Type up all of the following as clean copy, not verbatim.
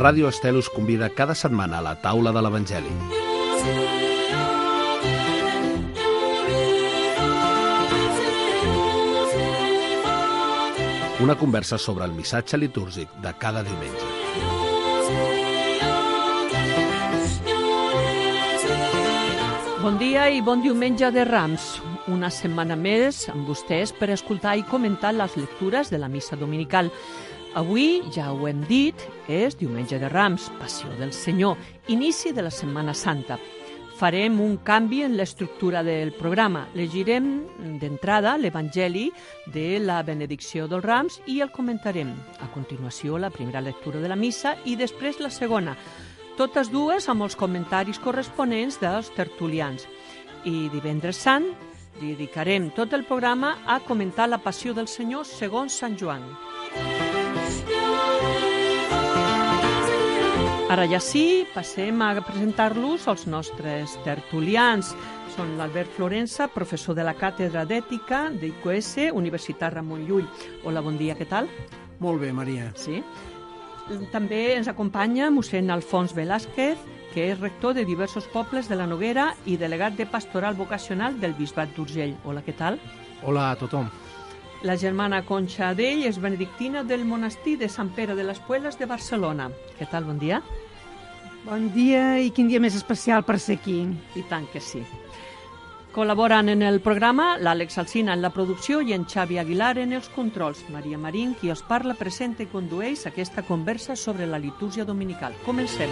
Ràdio Estel us convida cada setmana a la taula de l'Evangeli. Una conversa sobre el missatge litúrgic de cada diumenge. Bon dia i bon diumenge de Rams. Una setmana més amb vostès per escoltar i comentar les lectures de la missa dominical. Avui, ja ho hem dit, és diumenge de Rams, Passió del Senyor, inici de la Setmana Santa. Farem un canvi en l'estructura del programa. Llegirem d'entrada l'Evangeli de la benedicció dels Rams i el comentarem. A continuació, la primera lectura de la missa i després la segona. Totes dues amb els comentaris corresponents dels tertulians. I divendres sant dedicarem tot el programa a comentar la Passió del Senyor segons Sant Joan. Ara ja sí, passem a presentar-los als nostres tertulians. Són l'Albert Florensa, professor de la Càtedra d'Ètica d'IQS, Universitat Ramon Llull. Hola, bon dia, què tal? Molt bé, Maria. Sí. També ens acompanya mossèn Alfons Velázquez, que és rector de diversos pobles de la Noguera i delegat de pastoral vocacional del Bisbat d'Urgell. Hola, què tal? Hola a tothom. La germana Conxa Adell és benedictina del monestir de Sant Pere de les Puelles de Barcelona. Què tal, bon dia? Bon dia i quin dia més especial per ser aquí. I tant que sí. Col·laboren en el programa l'Àlex Alsina en la producció i en Xavi Aguilar en els controls. Maria Marín, qui us parla, presenta i condueix aquesta conversa sobre la litúrgia dominical. Comencem.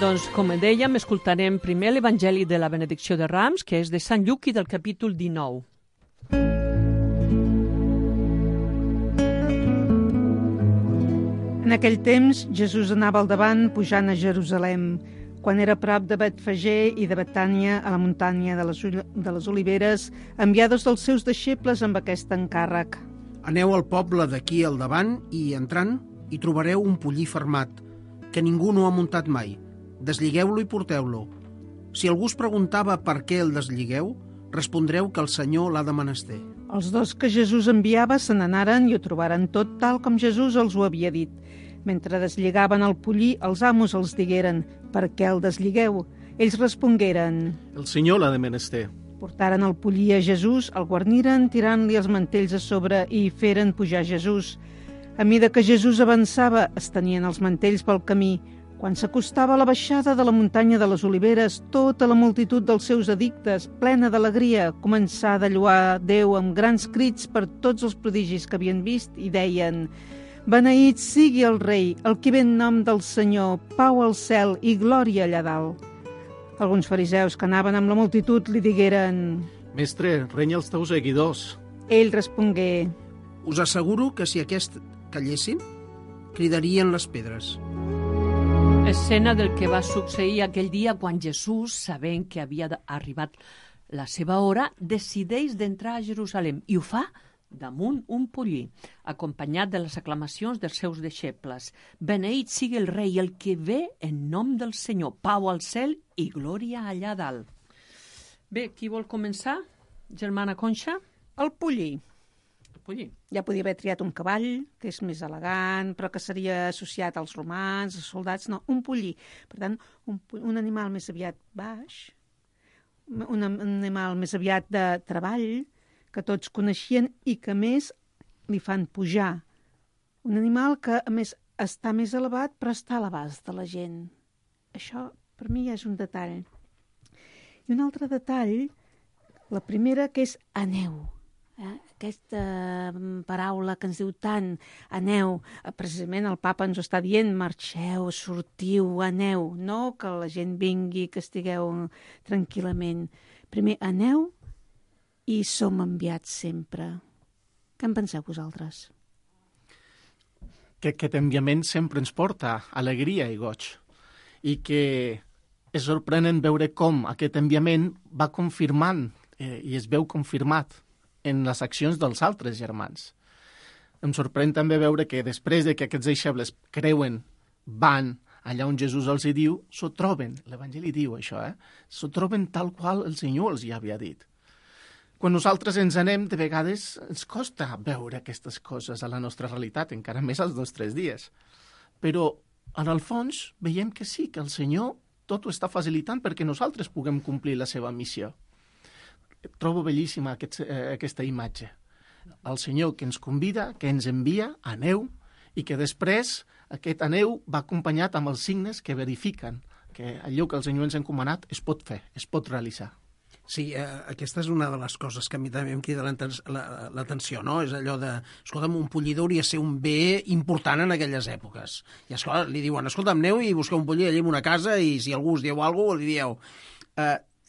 Doncs, com dèiem, escoltarem primer l'Evangeli de la benedicció de Rams, que és de Sant Lluc i del capítol 19. En aquell temps, Jesús anava al davant pujant a Jerusalem. Quan era a prop de Betfagé i de Betània, a la muntanya de les Oliveres, envià dos dels seus deixebles amb aquest encàrrec. Aneu al poble d'aquí al davant i, entrant, hi trobareu un pollí fermat, que ningú no ha muntat mai. Desligueu-lo i porteu-lo. Si algú us preguntava per què el desligueu, respondreu que el Senyor l'ha de menester. Els dos que Jesús enviava se n'anaren i ho trobaren tot tal com Jesús els ho havia dit. Mentre deslligaven el pollí, els amos els digueren: «Per què el desligueu?» Ells respongueren: «El Senyor l'ha de menester». Portaren el pollí a Jesús, el guarniren tirant-li els mantells a sobre i hi feren pujar Jesús. A mida que Jesús avançava, es tenien els mantells pel camí. Quan s'acostava a la baixada de la muntanya de les Oliveres, tota la multitud dels seus addictes, plena d'alegria, començà a lloar Déu amb grans crits per tots els prodigis que havien vist i deien: «Beneït sigui el rei, el qui ve en nom del Senyor, pau al cel i glòria allà dalt». Alguns fariseus que anaven amb la multitud li digueren: «Mestre, renya els teus seguidors». Ell respongué: «Us asseguro que si aquest callessin, cridarien les pedres». Escena del que va succeir aquell dia quan Jesús, sabent que havia arribat la seva hora, decideix d'entrar a Jerusalem i ho fa damunt un pollí, acompanyat de les aclamacions dels seus deixebles. «Beneït sigui el rei, el que ve en nom del Senyor, pau al cel i glòria allà dalt». Bé, qui vol començar? Germana Conxa? El pollí. Pollí. Ja podia haver triat un cavall, que és més elegant, però que seria associat als romans, als soldats. No, un pollí. Per tant, un animal més aviat baix, un animal més aviat de treball, que tots coneixien i que, a més, li fan pujar. Un animal que, a més, està més elevat, però està a l'abast de la gent. Això, per mi, ja és un detall. I un altre detall, la primera, que és aneu. Aquesta paraula que ens diu tant, aneu, precisament el papa ens ho està dient: marxeu, sortiu, aneu, no que la gent vingui, que estigueu tranquil·lament. Primer aneu i som enviats sempre. Què en penseu vosaltres? Que aquest enviament sempre ens porta alegria i goig, i que és sorprenent veure com aquest enviament va confirmant i es veu confirmat en les accions dels altres germans. Em sorprèn també veure que després de que aquests deixebles creuen, van allà on Jesús els hi diu, s'ho troben, l'Evangeli diu això, s'ho troben tal qual el Senyor els hi havia dit. Quan nosaltres ens anem, de vegades ens costa veure aquestes coses a la nostra realitat, encara més als nostres dies. Però, en el fons, veiem que sí, que el Senyor tot ho està facilitant perquè nosaltres puguem complir la seva missió. Trobo bellíssima aquesta imatge. El Senyor que ens convida, que ens envia, aneu, i que després aquest aneu va acompanyat amb els signes que verifiquen que allò que el Senyor ens ha encomanat es pot fer, es pot realitzar. Sí, aquesta és una de les coses que a mi també em crida l'atenció, no? És allò de, escolta'm, un pollí hauria de ser un bé important en aquelles èpoques. I esclar, li diuen, escolta'm, aneu i busqueu un pollí allà en una casa i si algú us diu alguna cosa, li dieu...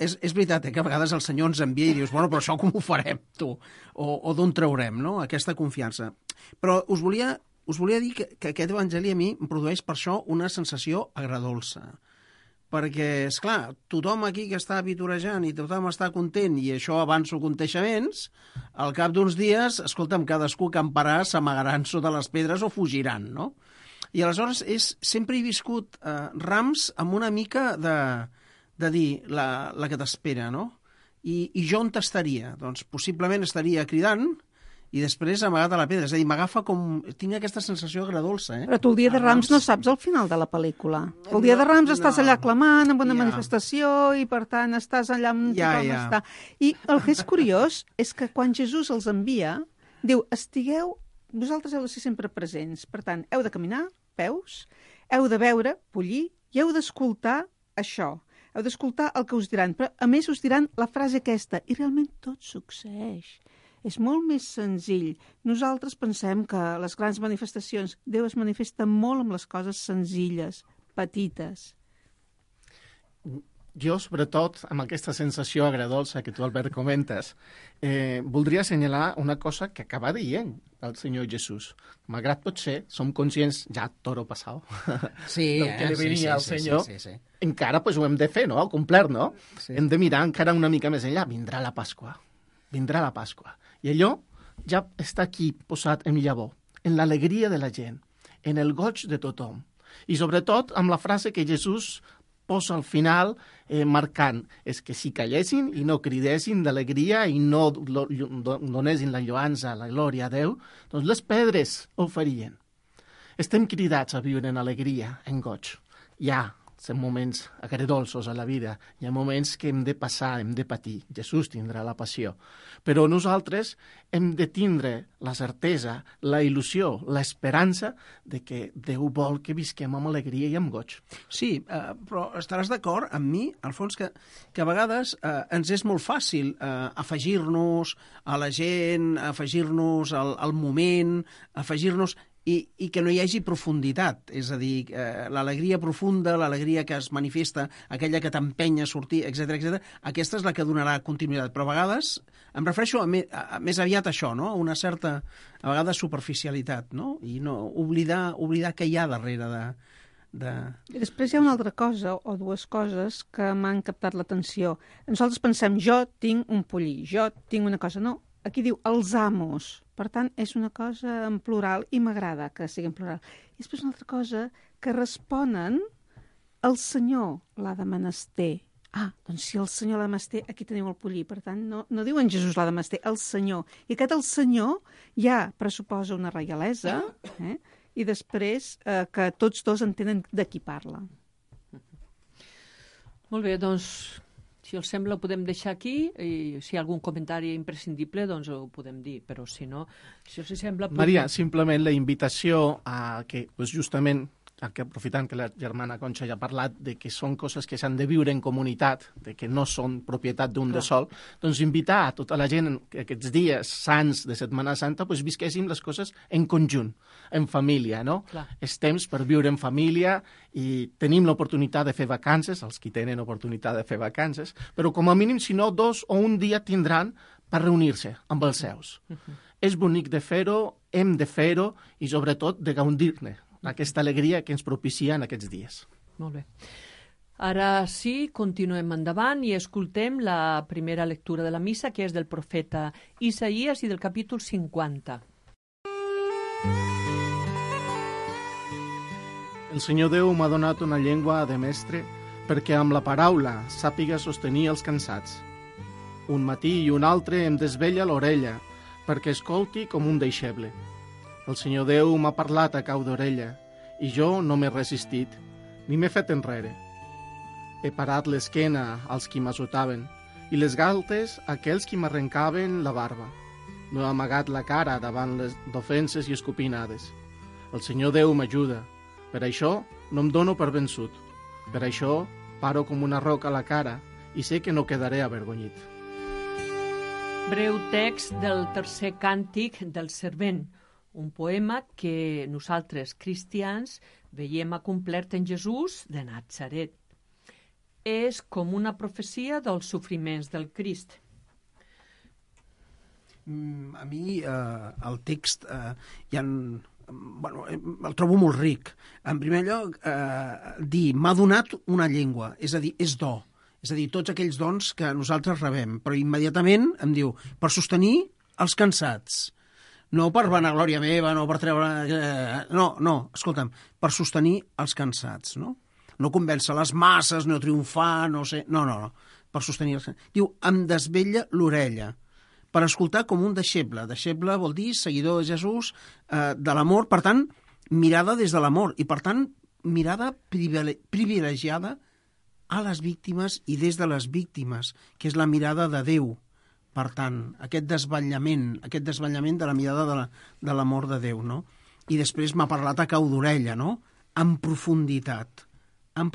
És veritat, que a vegades el Senyor ens envia i dius, bueno, però això com ho farem, tu? O d'on traurem, no?, aquesta confiança. Però us volia dir que aquest evangeli a mi em produeix per això una sensació agradolça. Perquè, esclar, tothom aquí que està vitorejant i tothom està content i això avanço aconteixements, al cap d'uns dies, escolta'm, cadascú camparà, s'amagaran sota les pedres o fugiran, no? I aleshores sempre he viscut Rams amb una mica de dir la que t'espera, no? I jo on estaria? Doncs possiblement estaria cridant i després amagat a la pedra. És a dir, m'agafa com... Tinc aquesta sensació agradolça, Però tu el dia de Rams no saps el final de la pel·lícula. El dia de Rams estàs allà clamant amb una manifestació i, per tant, estàs allà on tothom està. I el que és curiós és que quan Jesús els envia, diu, vosaltres heu de ser sempre presents. Per tant, heu de caminar, peus, heu de veure, pollir, i heu d'escoltar això. Heu d'escoltar el que us diran, però a més us diran la frase aquesta, i realment tot succeeix. És molt més senzill. Nosaltres pensem que les grans manifestacions, Déu es manifesta molt amb les coses senzilles, petites. Jo, sobretot, amb aquesta sensació agradolça que tu, Albert, comentes, voldria assenyalar una cosa que acaba dient el Senyor Jesús. Malgrat potser som conscients, ja toro passat, del que li venia al Senyor, encara pues, ho hem de fer, no?, complet, no? Sí. Hem de mirar encara una mica més enllà. Vindrà la Pasqua. I allò ja està aquí posat en llavor, en l'alegria de la gent, en el goig de tothom. I sobretot amb la frase que Jesús posa al final marcant, és que si callessin i no cridessin d'alegria i no donessin la lloança, la glòria a Déu, doncs les pedres ho farien. Estem cridats a viure en alegria, en goig. Hi ha moments agredolços a la vida, hi ha moments que hem de passar, hem de patir. Jesús tindrà la passió. Però nosaltres hem de tindre la certesa, la il·lusió, l'esperança de que Déu vol que visquem amb alegria i amb goig. Sí, però estaràs d'acord amb mi, Alfons, que a vegades ens és molt fàcil afegir-nos a la gent, afegir-nos al moment, afegir-nos... I que no hi hagi profunditat, és a dir, l'alegria profunda, l'alegria que es manifesta, aquella que t'empenya a sortir, etc, aquesta és la que donarà continuïtat. Però a vegades em refereixo a més aviat a això, no? Una certa, a vegades, superficialitat, no? I no oblidar què hi ha darrere I després hi ha una altra cosa, o dues coses, que m'han captat l'atenció. Nosaltres pensem, jo tinc un pollí, jo tinc una cosa. No, aquí diu els amos. Per tant, és una cosa en plural i m'agrada que sigui en plural. I després una altra cosa, que responen el Senyor l'ha de menester. Doncs si el Senyor l'ha de menester, aquí teniu el pollí. Per tant, no diuen Jesús l'ha de menester, el Senyor. I aquest el Senyor ja pressuposa una reialesa, i després que tots dos entenen de qui parla. Molt bé, doncs... Si els sembla, ho podem deixar aquí i si hi ha algun comentari imprescindible, doncs ho podem dir, però si no, si us sembla... Maria, simplement la invitació a que, justament, aprofitant que la germana Conxa ja ha parlat de que són coses que s'han de viure en comunitat, de que no són propietat d'un de sol, doncs invitar a tota la gent que aquests dies sants de Setmana Santa visquéssim les coses en conjunt, en família, no? Clar. És temps per viure en família i tenim l'oportunitat de fer vacances, els que tenen oportunitat de fer vacances, però com a mínim, si no, 2 o un dia tindran per reunir-se amb els seus. És bonic de fer-ho, hem de fer-ho i sobretot de gaudir-ne aquesta alegria que ens propicia en aquests dies. Molt bé. Ara sí, continuem endavant i escoltem la primera lectura de la missa, que és del profeta Isaïes i del capítol 50. El Senyor Déu m'ha donat una llengua de mestre perquè amb la paraula sàpiga sostenir els cansats. Un matí i un altre em desvella l'orella, perquè escolti com un deixeble. El Senyor Déu m'ha parlat a cau d'orella, i jo no m'he resistit, ni m'he fet enrere. He parat l'esquena als qui m'azotaven, i les galtes a aquells qui m'arrencaven la barba. No he amagat la cara davant les d'ofenses i escopinades. El Senyor Déu m'ajuda. Per això no em dono per vençut. Per això paro com una roca a la cara i sé que no quedaré avergonyit. Breu text del tercer càntic del servent, un poema que nosaltres, cristians, veiem acomplert en Jesús de Natzaret. És com una profecia dels sofriments del Crist. A mi el text el trobo molt ric. En primer lloc, dir m'ha donat una llengua, és a dir, és do. És a dir, tots aquells dons que nosaltres rebem, però immediatament em diu per sostenir els cansats. No per vanaglòria meva, no per treure... No, escolta'm, per sostenir els cansats, no? No convèncer les masses, no triomfar, no sé... No, per sostenir els cansats. Diu, em desvella l'orella, per escoltar com un deixeble. Deixeble vol dir seguidor de Jesús, de l'amor, per tant, mirada des de l'amor, i per tant, mirada privilegiada a les víctimes i des de les víctimes, que és la mirada de Déu. Per tant, aquest desvetllament de la mirada de l'amor de Déu, no? I després m'ha parlat a cau d'orella, no? En profunditat, en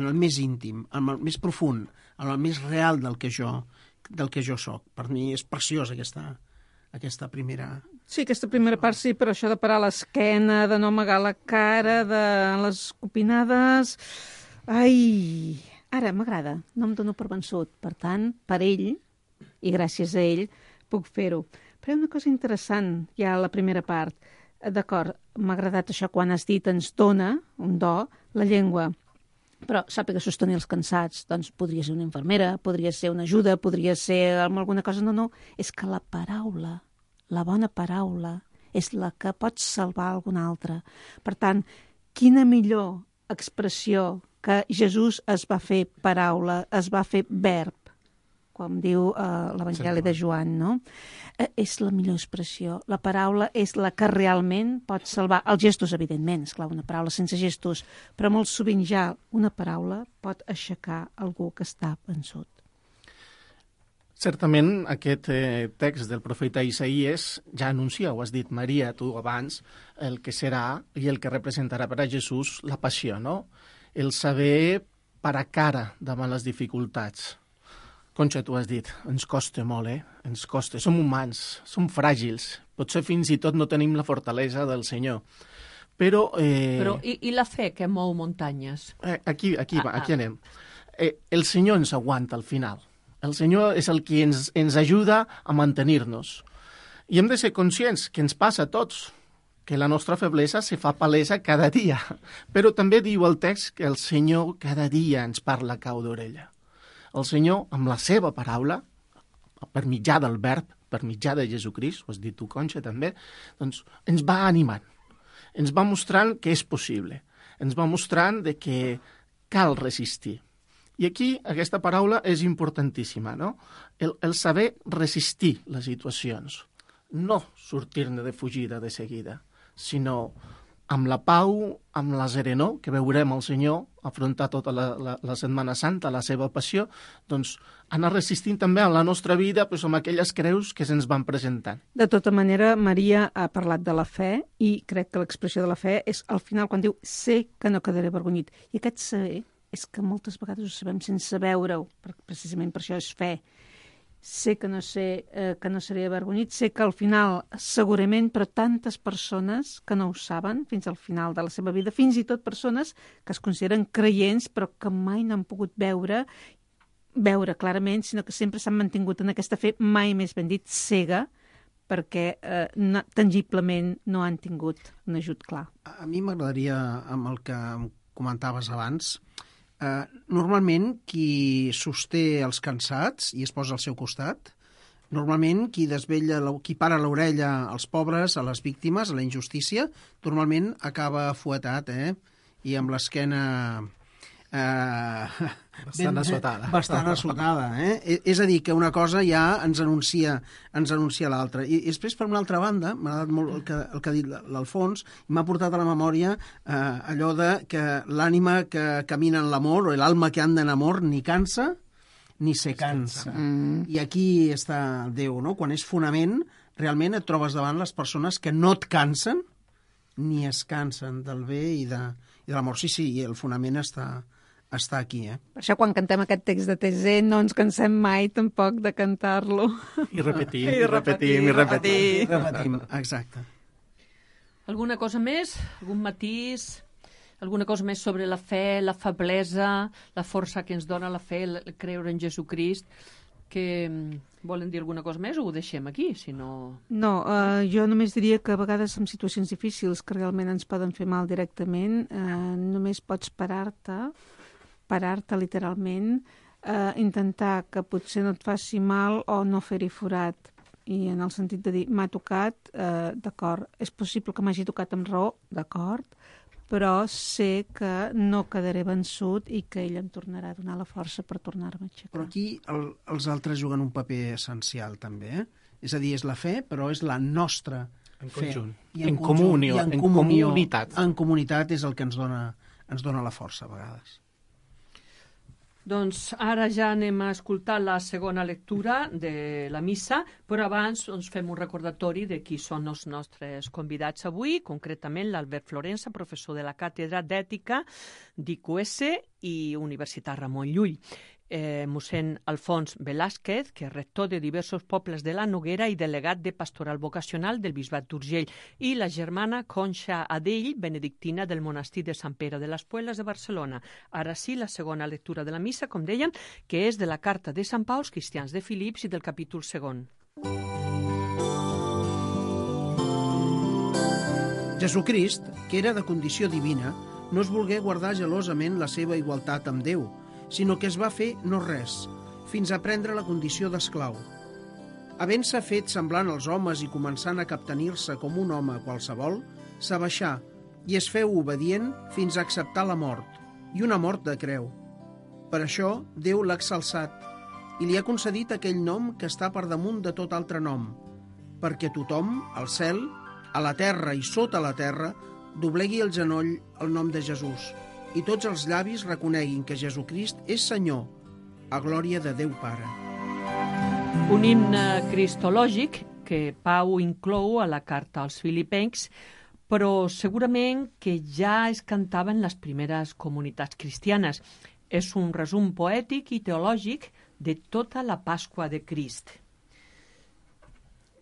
el més íntim, en el més profund, en el més real del que jo soc. Per mi és preciosa aquesta primera... Sí, aquesta primera part sí, però això de parar l'esquena, de no amagar la cara, de les opinades... Ai, ara m'agrada, no em dono per vençut. Per tant, per ell, i gràcies a ell, puc fer-ho. Però hi ha una cosa interessant, ja a la primera part. D'acord, m'ha agradat això quan has dit ens dona, un do, la llengua. Però sàpiga sostenir els cansats. Doncs podria ser una infermera, podria ser una ajuda, podria ser alguna cosa. No, és que la paraula, la bona paraula, és la que pot salvar alguna altra. Per tant, quina millor expressió que Jesús es va fer paraula, es va fer verb, com diu l'Evangeli de Joan, no? És la millor expressió. La paraula és la que realment pot salvar. Els gestos, evidentment, esclar, una paraula sense gestos, però molt sovint ja una paraula pot aixecar algú que està vençut. Certament, aquest text del profeta Isaías ja anuncia, ho has dit, Maria, tu abans, el que serà i el que representarà per a Jesús la passió, no? El saber parar cara davant les dificultats. Conxa, tu has dit, ens costa molt, Ens costa. Som humans, som fràgils. Potser fins i tot no tenim la fortalesa del Senyor. Però i la fe que mou muntanyes? Aquí anem. El Senyor ens aguanta al final. El Senyor és el que ens ajuda a mantenir-nos. I hem de ser conscients que ens passa a tots, que la nostra feblesa se fa palesa cada dia. Però també diu el text que el Senyor cada dia ens parla a cau d'orella. El Senyor, amb la seva paraula, per mitjà del verb, per mitjà de Jesucrist, ho has dit tu, Conxa, també, doncs ens va animant, ens va mostrant que és possible, ens va mostrant de que cal resistir. I aquí aquesta paraula és importantíssima, no? El saber resistir les situacions, no sortir-ne de fugida de seguida, sinó amb la pau, amb la serenor, que veurem el Senyor afrontar tota la Setmana Santa, la seva passió, doncs anar resistint també a la nostra vida doncs, amb aquelles creus que se'ns van presentant. De tota manera, Maria ha parlat de la fe i crec que l'expressió de la fe és al final quan diu sé que no quedaré avergonyit. I aquest saber és que moltes vegades ho sabem sense veure-ho, precisament per això és fe. Sé que no seré avergonyit, sé que al final, segurament, però tantes persones que no ho saben fins al final de la seva vida, fins i tot persones que es consideren creients però que mai n'han pogut veure clarament, sinó que sempre s'han mantingut en aquesta fe, mai més ben dit, cega, perquè tangiblement no han tingut un ajut clar. A mi m'agradaria, amb el que comentaves abans, normalment qui sosté els cansats i es posa al seu costat, normalment qui para l'orella als pobres, a les víctimes, a la injustícia, normalment acaba fuetat, i amb l'esquena Bastant assotada. Bastant assotada, És a dir, que una cosa ja ens anuncia l'altra. I després, per una altra banda, m'ha agradat molt el que ha dit l'Alfons, i m'ha portat a la memòria allò de que l'ànima que camina en l'amor, o l'alma que anda en amor, ni cansa ni se cansa. I aquí està Déu, no? Quan és fonament, realment et trobes davant les persones que no et cansen ni es cansen del bé i de l'amor. Sí, i el fonament està aquí, Per això, quan cantem aquest text de Tessé, no ens cansem mai tampoc de cantar-lo. I repetim. Repetim, exacte. Alguna cosa més? Algun matís? Alguna cosa més sobre la fe, la feblesa, la força que ens dona la fe, el creure en Jesucrist? Que volen dir alguna cosa més o ho deixem aquí, si no... No, jo només diria que a vegades en situacions difícils que realment ens poden fer mal directament, només pots parar-te literalment, intentar que potser no et faci mal o no fer-hi forat. I en el sentit de dir, m'ha tocat, d'acord, és possible que m'hagi tocat amb raó, d'acord, però sé que no quedaré vençut i que ell em tornarà a donar la força per tornar-me a aixecar. Però aquí els altres juguen un paper essencial, també, És a dir, és la fe, però és la nostra fe. En comunió, en comunitat. En comunitat és el que ens dona la força, a vegades. Doncs ara ja anem a escoltar la segona lectura de la missa, però abans fem un recordatori de qui són els nostres convidats avui, concretament l'Albert Florensa, professor de la Càtedra d'Ètica d'IQS i Universitat Ramon Llull. Mossèn Alfons Velázquez, que és rector de diversos pobles de la Noguera i delegat de Pastoral Vocacional del Bisbat d'Urgell, i la germana Conxa Adell, benedictina del monestir de Sant Pere de les Puelles de Barcelona. Ara sí, la segona lectura de la missa, com dèiem, que és de la carta de Sant Pau als cristians de Filips i del capítol 2. Jesucrist, que era de condició divina, no es volgué guardar gelosament la seva igualtat amb Déu, sinó que es va fer no res, fins a prendre la condició d'esclau. Havent-se fet semblant als homes i començant a captenir-se com un home qualsevol, s'abaixà i es feu obedient fins a acceptar la mort, i una mort de creu. Per això Déu l'ha exalçat i li ha concedit aquell nom que està per damunt de tot altre nom, perquè tothom, al cel, a la terra i sota la terra, doblegui el genoll al nom de Jesús, i tots els llavis reconeguin que Jesucrist és Senyor, a glòria de Déu Pare. Un himne cristològic que Pau inclou a la carta als filipencs, però segurament que ja es cantava en les primeres comunitats cristianes. És un resum poètic i teològic de tota la Pasqua de Crist.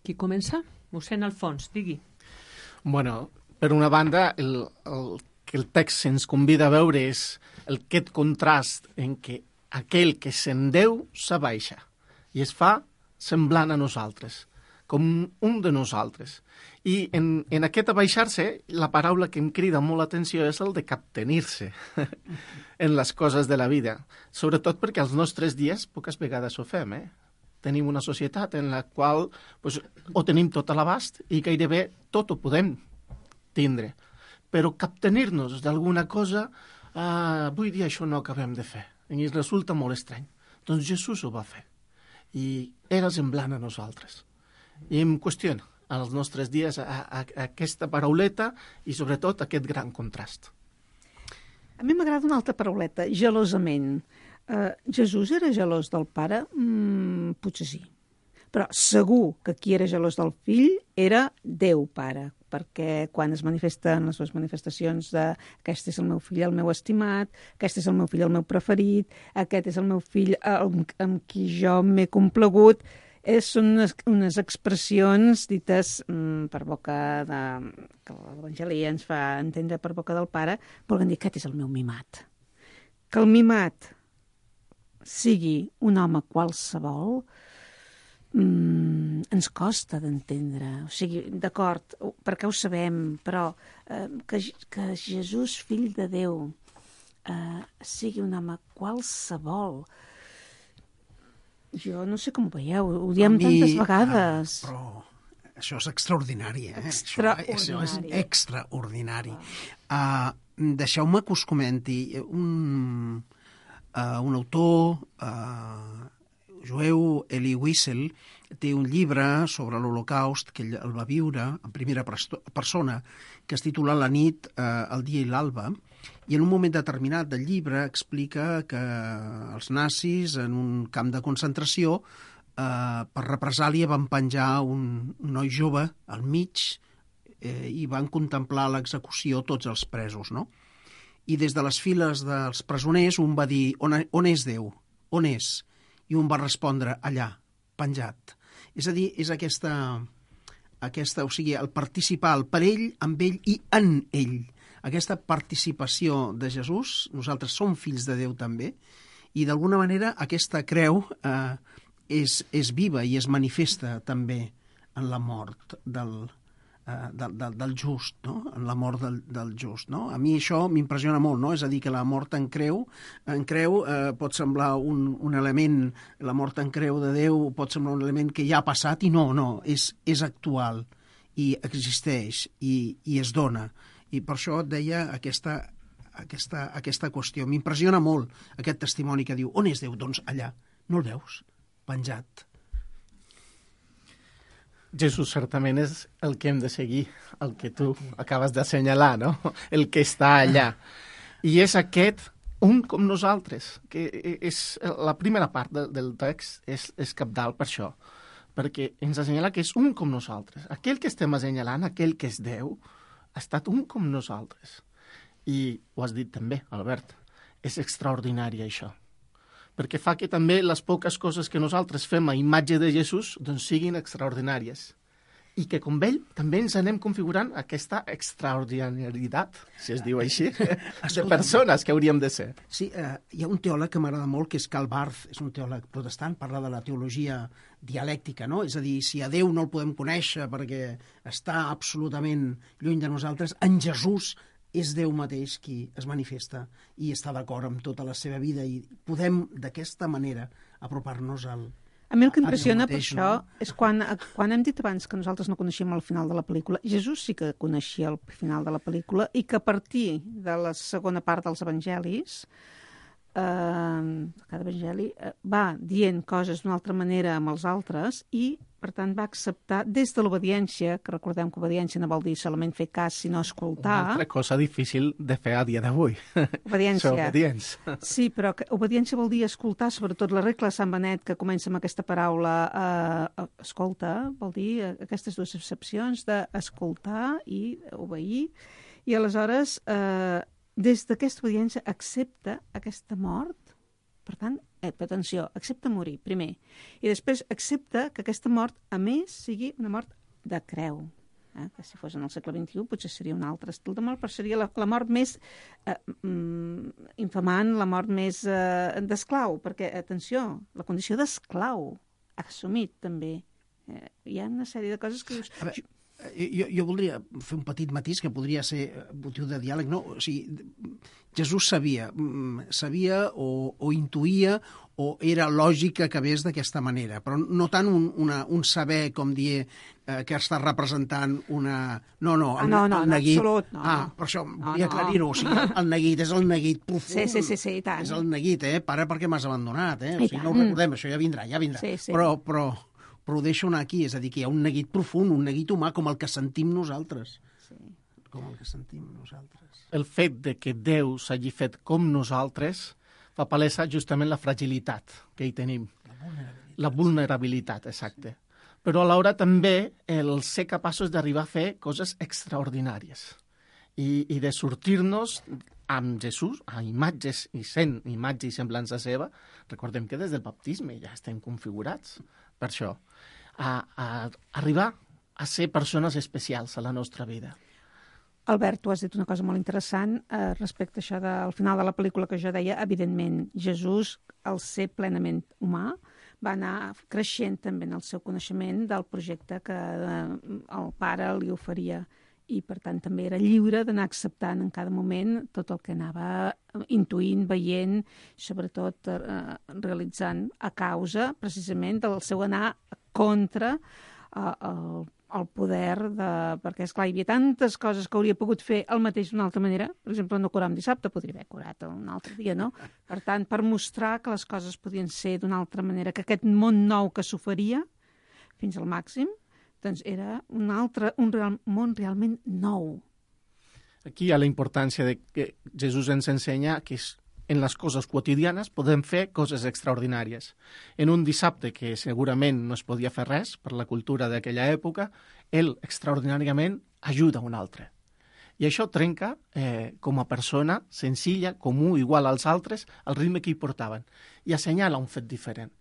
Qui comença? Mossèn Alfons, digui. Bueno, per una banda, el que el text ens convida a veure és aquest contrast en què aquell que se'n Déu s'abaixa i es fa semblant a nosaltres, com un de nosaltres. I en aquest abaixar-se, la paraula que em crida molt l'atenció és el de captenir-se en les coses de la vida, sobretot perquè als nostres dies poques vegades ho fem, Tenim una societat en la qual ho tenim tot a l'abast i gairebé tot ho podem tindre. Però captenir-nos d'alguna cosa, avui dia això no acabem de fer. I ens resulta molt estrany. Doncs Jesús ho va fer. I era semblant a nosaltres. I em qüestiona als nostres dies aquesta parauleta i sobretot aquest gran contrast. A mi m'agrada una altra parauleta, gelosament. Jesús era gelós del Pare? Potser sí. Però segur que qui era gelós del fill era Déu Pare, perquè quan es manifesten les dues manifestacions de aquest és el meu fill, el meu estimat, aquest és el meu fill, el meu preferit, aquest és el meu fill amb qui jo m'he complagut, són unes expressions dites per boca de... que l'Evangeli ens fa entendre per boca del Pare, volen dir aquest és el meu mimat. Que el mimat sigui un home qualsevol ens costa d'entendre. O sigui, d'acord, perquè ho sabem, però que Jesús, fill de Déu, sigui un home qualsevol. Jo no sé com ho veieu, ho diem tantes vegades. Però això és extraordinari, Extraordinari. Això és extraordinari. Deixeu-me que us comenti un autor jueu, Elie Wiesel, té un llibre sobre l'Holocaust que ell el va viure en primera persona, que es titula La nit, el dia i l'alba, i en un moment determinat del llibre explica que els nazis en un camp de concentració per represàlia van penjar un noi jove al mig i van contemplar l'execució tots els presos, no? I des de les files dels presoners un va dir, on és Déu? On és? I un va respondre, allà, penjat. És a dir, és aquesta, o sigui, el participar, el per ell, amb ell i en ell. Aquesta participació de Jesús, nosaltres som fills de Déu també, i d'alguna manera aquesta creu és viva i es manifesta també en la mort del just, no? En la mort del just, no? A mi això m'impressiona molt, no? És a dir, que la mort en creu pot semblar un element, la mort en creu de Déu pot semblar un element que ja ha passat i no, és actual i existeix i es dona. I per això et deia aquesta qüestió. M'impressiona molt aquest testimoni que diu, on és Déu? Doncs allà. No el veus? Penjat. Jesús certament és el que hem de seguir, el que tu acabes d'assenyalar, no? El que està allà. I és aquest, un com nosaltres, que és la primera part del text és cabdal per això, perquè ens assenyala que és un com nosaltres. Aquell que estem assenyalant, aquell que és Déu, ha estat un com nosaltres. I ho has dit també, Albert, és extraordinari això, perquè fa que també les poques coses que nosaltres fem a imatge de Jesús doncs siguin extraordinàries. I que com ell també ens anem configurant aquesta extraordinarietat, si es diu així, de persones que hauríem de ser. Sí, hi ha un teòleg que m'agrada molt, que és Karl Barth, és un teòleg protestant, parla de la teologia dialèctica, no? És a dir, si a Déu no el podem conèixer perquè està absolutament lluny de nosaltres, en Jesús és Déu mateix qui es manifesta i està d'acord amb tota la seva vida i podem d'aquesta manera apropar-nos al A mi el que impressiona mateix, per això és quan hem dit abans que nosaltres no coneixíem el final de la pel·lícula, Jesús sí que coneixia el final de la pel·lícula i que a partir de la segona part dels evangelis, cada evangeli va dient coses d'una altra manera amb els altres i per tant va acceptar des de l'obediència, que recordem que obediència no vol dir solament fer cas, sinó escoltar. Una altra cosa difícil de fer a dia d'avui. Obediència. Obedients. Sí, però obediència vol dir escoltar, sobretot la regla de Sant Benet, que comença amb aquesta paraula escolta, vol dir aquestes dues excepcions d'escoltar i obeir, i aleshores des d'aquesta obediència accepta aquesta mort. Per tant, atenció, accepta morir, primer. I després accepta que aquesta mort, a més, sigui una mort de creu. Que si fos en el segle XXI potser seria un altre estil de mort, però seria la mort més infamant, la mort més d'esclau, perquè, atenció, la condició d'esclau ha assumit també. Hi ha una sèrie de coses que dius... Jo voldria fer un petit matís que podria ser motiu de diàleg, no? O sigui, Jesús sabia o intuïa o era lògic que acabés d'aquesta manera, però no tant un saber, com dir, que està representant una... No, el neguit... absolut, no. Per això volia aclarir-ho, o sigui, el neguit és el neguit profund. Sí, i tant. És el neguit, pare, perquè m'has abandonat, O sigui, no ho recordem, això ja vindrà. Sí. Però ho deixo anar aquí, és a dir, que hi ha un neguit profund, un neguit humà, com el que sentim nosaltres. Sí. Com el que sentim nosaltres. El fet de que Déu s'hagi fet com nosaltres fa palesa justament la fragilitat que hi tenim. La vulnerabilitat, exacte. Però alhora també el ser capaços d'arribar a fer coses extraordinàries i de sortir-nos amb Jesús, a imatges i sent imatge i semblança seva. Recordem que des del baptisme ja estem configurats per això, a arribar a ser persones especials a la nostra vida. Albert, tu has dit una cosa molt interessant respecte a això del final de la pel·lícula que jo deia. Evidentment, Jesús, al ser plenament humà, va anar creixent també en el seu coneixement del projecte que el pare li oferia i, per tant, també era lliure d'anar acceptant en cada moment tot el que anava intuint, veient, sobretot realitzant a causa, precisament, del seu anar contra el poder perquè, esclar, hi havia tantes coses que hauria pogut fer el mateix d'una altra manera. Per exemple, no curar un dissabte, podria haver curat un altre dia, no? Per tant, per mostrar que les coses podien ser d'una altra manera, que aquest món nou que s'oferia fins al màxim, doncs era un món realment nou. Aquí hi ha la importància de que Jesús ens ensenya que en les coses quotidianes podem fer coses extraordinàries. En un dissabte que segurament no es podia fer res per la cultura d'aquella època, ell extraordinàriament ajuda un altre. I això trenca, com a persona senzilla, comú, igual als altres, el ritme que hi portaven, i assenyala un fet diferent.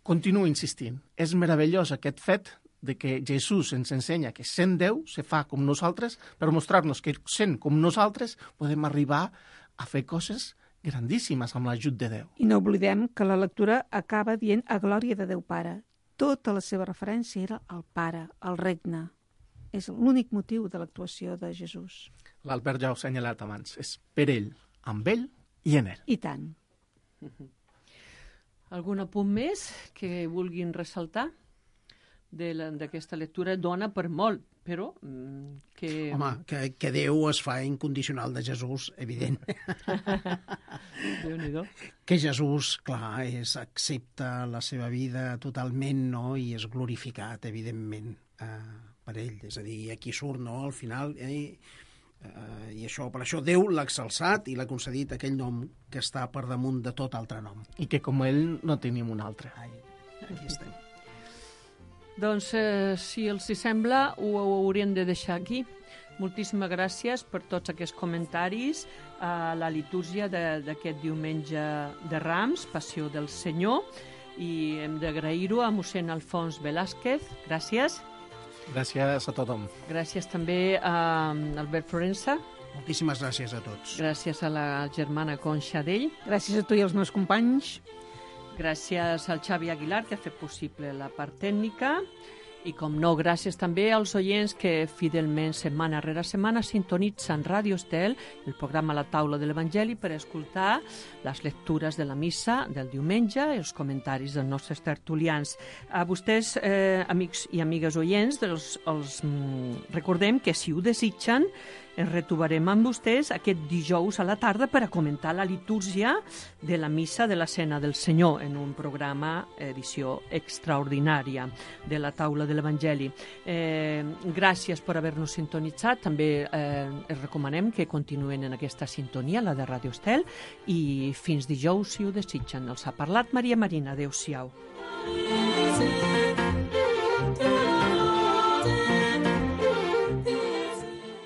Continuo insistint, és meravellós aquest fet de que Jesús ens ensenya que sent Déu se fa com nosaltres per mostrar-nos que sent com nosaltres podem arribar a fer coses grandíssimes amb l'ajut de Déu. I no oblidem que la lectura acaba dient a glòria de Déu Pare. Tota la seva referència era al Pare, al regne. És l'únic motiu de l'actuació de Jesús. L'Albert ja ho ha assenyalat abans. És per ell, amb ell i en ell. I tant. Algun apunt més que vulguin ressaltar d'aquesta lectura? Dona per molt, però que... Home, que Déu es fa incondicional de Jesús, evident. Déu-n'hi-do. Que Jesús, clar, accepta la seva vida totalment, no?, i és glorificat, evidentment, per ell. És a dir, aquí surt, no?, al final... I això, per això Déu l'ha exalçat i l'ha concedit aquell nom que està per damunt de tot altre nom. I que com ell no tenim un altre. Ai, aquí estem. Doncs, si els hi sembla, ho hauríem de deixar aquí. Moltíssimes gràcies per tots aquests comentaris a la litúrgia d'aquest diumenge de Rams, Passió del Senyor, i hem d'agrair-ho a mossèn Alfons Velázquez. Gràcies. Gràcies a tothom. Gràcies també a Albert Florença. Moltíssimes gràcies a tots. Gràcies a la germana Conxa d'ell. Gràcies a tu i als meus companys. Gràcies al Xavi Aguilar, que ha fet possible la part tècnica. I, com no, gràcies també als oients que fidelment, setmana rere setmana, sintonitzen Ràdio Estel, el programa La Taula de l'Evangeli, per escoltar les lectures de la missa del diumenge i els comentaris dels nostres tertulians. A vostès, amics i amigues oients, els recordem que, si ho desitgen, ens retrobarem amb vostès aquest dijous a la tarda per a comentar la litúrgia de la missa de la Cena del Senyor en un programa, edició extraordinària de la Taula de l'Evangeli. Gràcies per haver-nos sintonitzat. També els recomanem que continuen en aquesta sintonia, la de Ràdio Estel, i fins dijous, si ho desitgen. Els ha parlat Maria Marina. Adéu-siau.